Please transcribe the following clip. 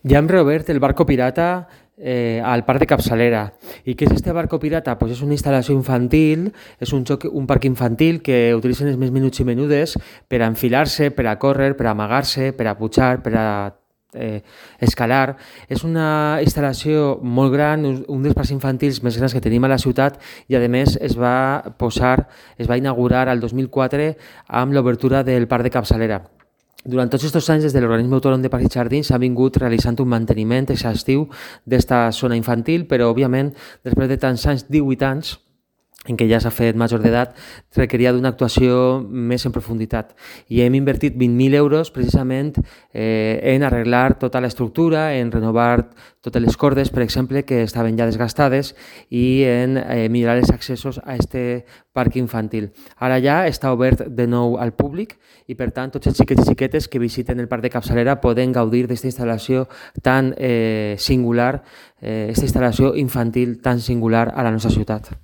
Ya han reobert el barco pirata al parc de Capçalera. I què és este barco pirata? Pues és una instal·lació infantil, és un parc infantil que utilitzen els més menuts i menudes per a enfilar-se, per a córrer, per a amagar-se, per a pujar, per a escalar. És una instal·lació molt gran, un dels parcs infantils més grans que tenim a la ciutat i a més es va inaugurar el 2004 amb l'obertura del parc de Capçalera. Durant tots aquests anys, des de l'Organisme Autònom de Parcs i Jardins s'ha vingut realitzant un manteniment exhaustiu d'esta zona infantil, però, òbviament, després de tants anys, 18 anys, en què ja s'ha fet major d'edat, requeria d'una actuació més en profunditat. I hem invertit 20.000 euros precisament en arreglar tota l'estructura, en renovar totes les cordes, per exemple, que estaven ja desgastades, i en millorar els accessos a este parc infantil. Ara ja està obert de nou al públic i, per tant, tots els xiquets i xiquetes que visiten el parc de Capçalera poden gaudir d'aquesta instal·lació tan singular, aquesta instal·lació infantil tan singular a la nostra ciutat.